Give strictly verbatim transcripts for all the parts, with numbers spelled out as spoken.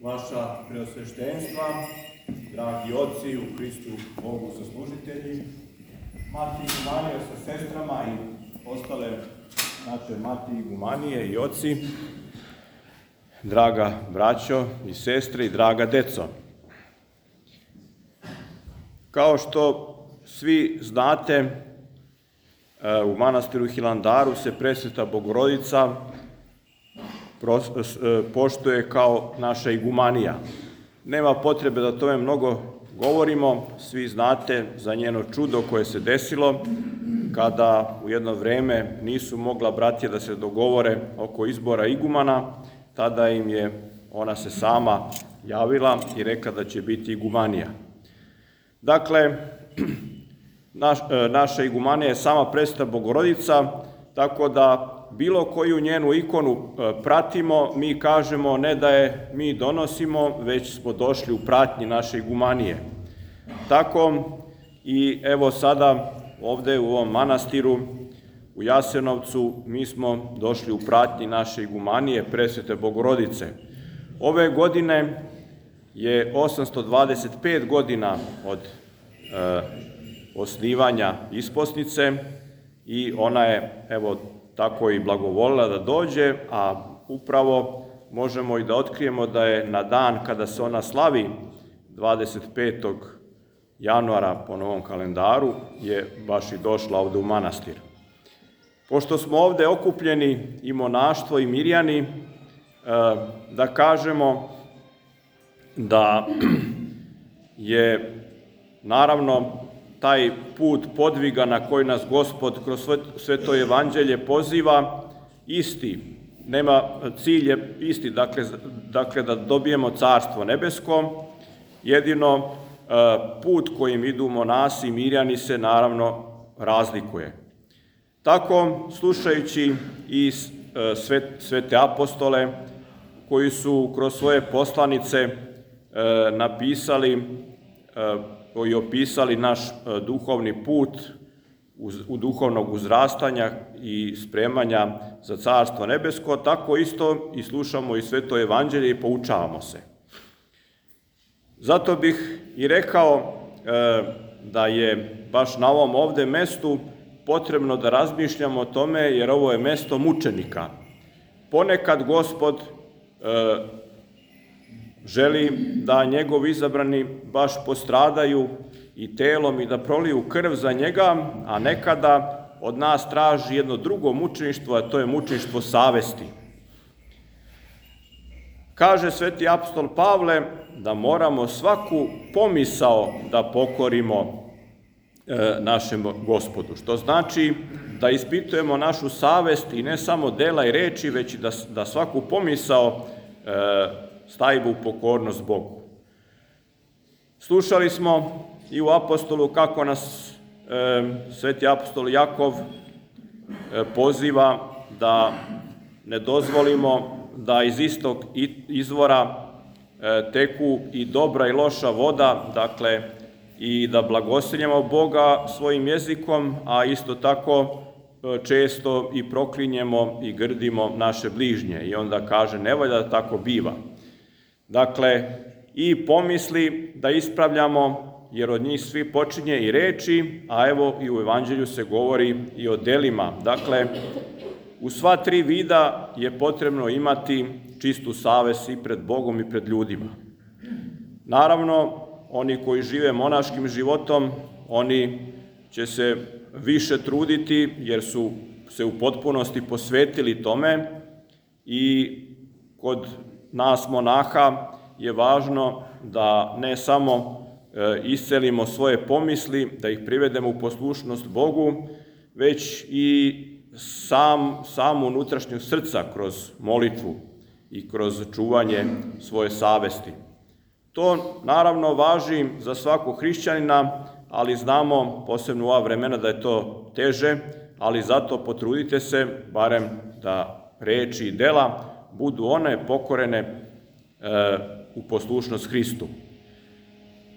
Vaša preosveštenstva, dragi oci u Hristu Bogu saslužitelji, mati igumanije sa sestrama i ostale naše mati igumanije i oci, draga braćo i sestre i draga deco. Kao što svi znate, u manastiru Hilandaru se Presveta Bogorodica poštuje kao naša igumanija. Nema potrebe da o tome mnogo govorimo, svi znate za njeno čudo koje se desilo kada u jedno vreme nisu mogla bratija da se dogovore oko izbora igumana, tada im je ona se sama javila i rekla da će biti igumanija. Dakle, naš, naša igumanija je sama Presveta Bogorodica, tako da bilo koju njenu ikonu pratimo, mi kažemo ne da je mi donosimo, već smo došli u pratnji naše igumanije. Tako i evo sada ovde u ovom manastiru u Jasenovcu mi smo došli u pratnji naše igumanije Presvete Bogorodice. Ove godine je osamsto dvadeset pet godina od e, osnivanja isposnice i ona je evo tako i blagovolila da dođe, a upravo možemo i da otkrijemo da je na dan kada se ona slavi, dvadeset petog januara po novom kalendaru, je baš i došla ovde u manastir. Pošto smo ovde okupljeni i monaštvo i mirjani, da kažemo da je naravno taj put podviga na koji nas Gospod kroz Sveto evanđelje poziva isti, nema cilj je isti, dakle, dakle da dobijemo Carstvo nebesko, jedino put kojim idu monasi i mirjani se naravno razlikuje. Tako, slušajući i svete apostole koji su kroz svoje poslanice napisali koji opisali naš duhovni put u duhovnog uzrastanja i spremanja za Carstvo nebesko, tako isto i slušamo i Sveto evanđelje i poučavamo se. Zato bih i rekao da je baš na ovom ovde mestu potrebno da razmišljamo o tome, jer ovo je mesto mučenika. Ponekad Gospod želi da njegovi izabrani baš postradaju i telom i da proliju krv za njega, a nekada od nas traži jedno drugo mučeništvo, a to je mučeništvo savesti. Kaže sveti apostol Pavle da moramo svaku pomisao da pokorimo našem Gospodu, što znači da ispitujemo našu savest i ne samo dela i reči, već i da, da svaku pomisao stavimo u pokornost Bogu. Slušali smo i u apostolu kako nas e, sveti apostol Jakov e, poziva da ne dozvolimo da iz istog izvora e, teku i dobra i loša voda, dakle i da blagosiljemo Boga svojim jezikom, a isto tako e, često i proklinjemo i grdimo naše bližnje. I onda kaže, ne valja da tako biva. Dakle, i pomisli da ispravljamo, jer od njih svi počinje i reči, a evo i u evanđelju se govori i o delima. Dakle, u sva tri vida je potrebno imati čistu savest i pred Bogom i pred ljudima. Naravno, oni koji žive monaškim životom, oni će se više truditi, jer su se u potpunosti posvetili tome i kod nas monaha je važno da ne samo iscelimo svoje pomisli, da ih privedemo u poslušnost Bogu, već i sam, samu unutrašnju srca kroz molitvu i kroz čuvanje svoje savesti. To naravno važi za svakog hrišćanina, ali znamo, posebno u ova vremena, da je to teže, ali zato potrudite se, barem da reči i dela budu one pokorene e, u poslušnost Hristu.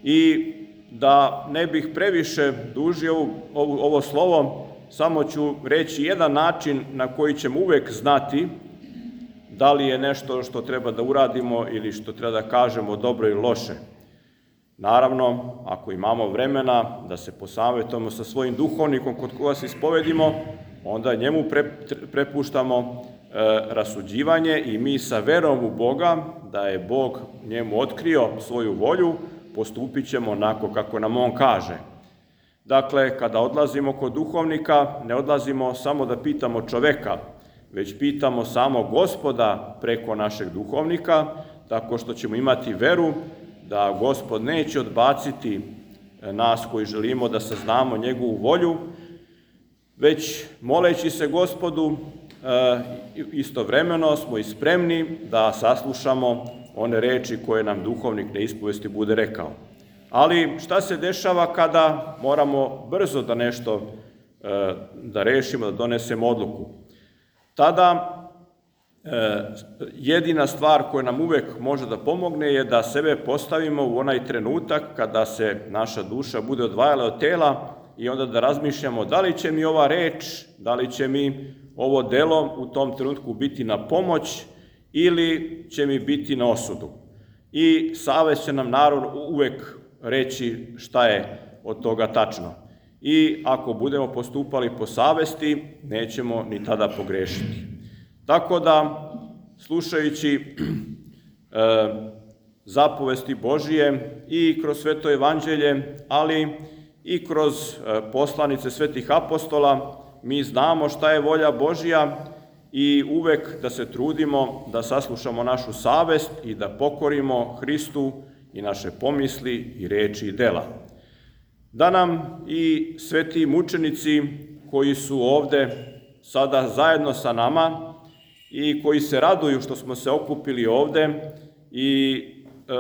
I da ne bih previše dužio ovo, ovo, ovo slovo, samo ću reći jedan način na koji ćemo uvek znati da li je nešto što treba da uradimo ili što treba da kažemo dobro ili loše. Naravno, ako imamo vremena da se posavetujemo sa svojim duhovnikom kod koga se ispovedimo, onda njemu prepuštamo rasuđivanje i mi sa verom u Boga, da je Bog njemu otkrio svoju volju, postupit ćemo onako kako nam on kaže. Dakle, kada odlazimo kod duhovnika, ne odlazimo samo da pitamo čoveka, već pitamo samo Gospoda preko našeg duhovnika, tako što ćemo imati veru da Gospod neće odbaciti nas koji želimo da saznamo njegovu volju, već moleći se Gospodu, istovremeno smo i spremni da saslušamo one reči koje nam duhovnik na ispovesti bude rekao. Ali šta se dešava kada moramo brzo da nešto da rešimo, da donesemo odluku? Tada jedina stvar koja nam uvek može da pomogne je da sebe postavimo u onaj trenutak kada se naša duša bude odvajala od tela i onda da razmišljamo da li će mi ova reč, da li će mi ovo delo u tom trenutku biti na pomoć ili će mi biti na osudu. I savest će nam naravno uvek reći šta je od toga tačno. I ako budemo postupali po savesti, nećemo ni tada pogrešiti. Tako da, slušajući e, zapovesti Božije i kroz Sveto evanđelje, ali i kroz e, poslanice svetih apostola, mi znamo šta je volja Božja i uvek da se trudimo da saslušamo našu savest i da pokorimo Hristu i naše pomisli i reči i dela. Da nam i sveti mučenici koji su ovde sada zajedno sa nama i koji se raduju što smo se okupili ovde i e,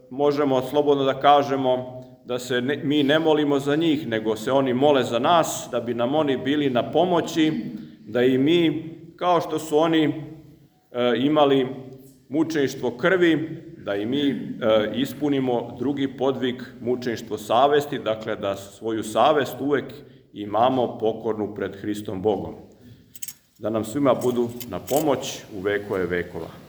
možemo slobodno da kažemo da se ne, mi ne molimo za njih, nego se oni mole za nas, da bi nam oni bili na pomoći, da i mi, kao što su oni e, imali mučeništvo krvi, da i mi e, ispunimo drugi podvig mučeništvo savesti, dakle da svoju savest uvek imamo pokornu pred Hristom Bogom. Da nam svima budu na pomoć u vekove vekova.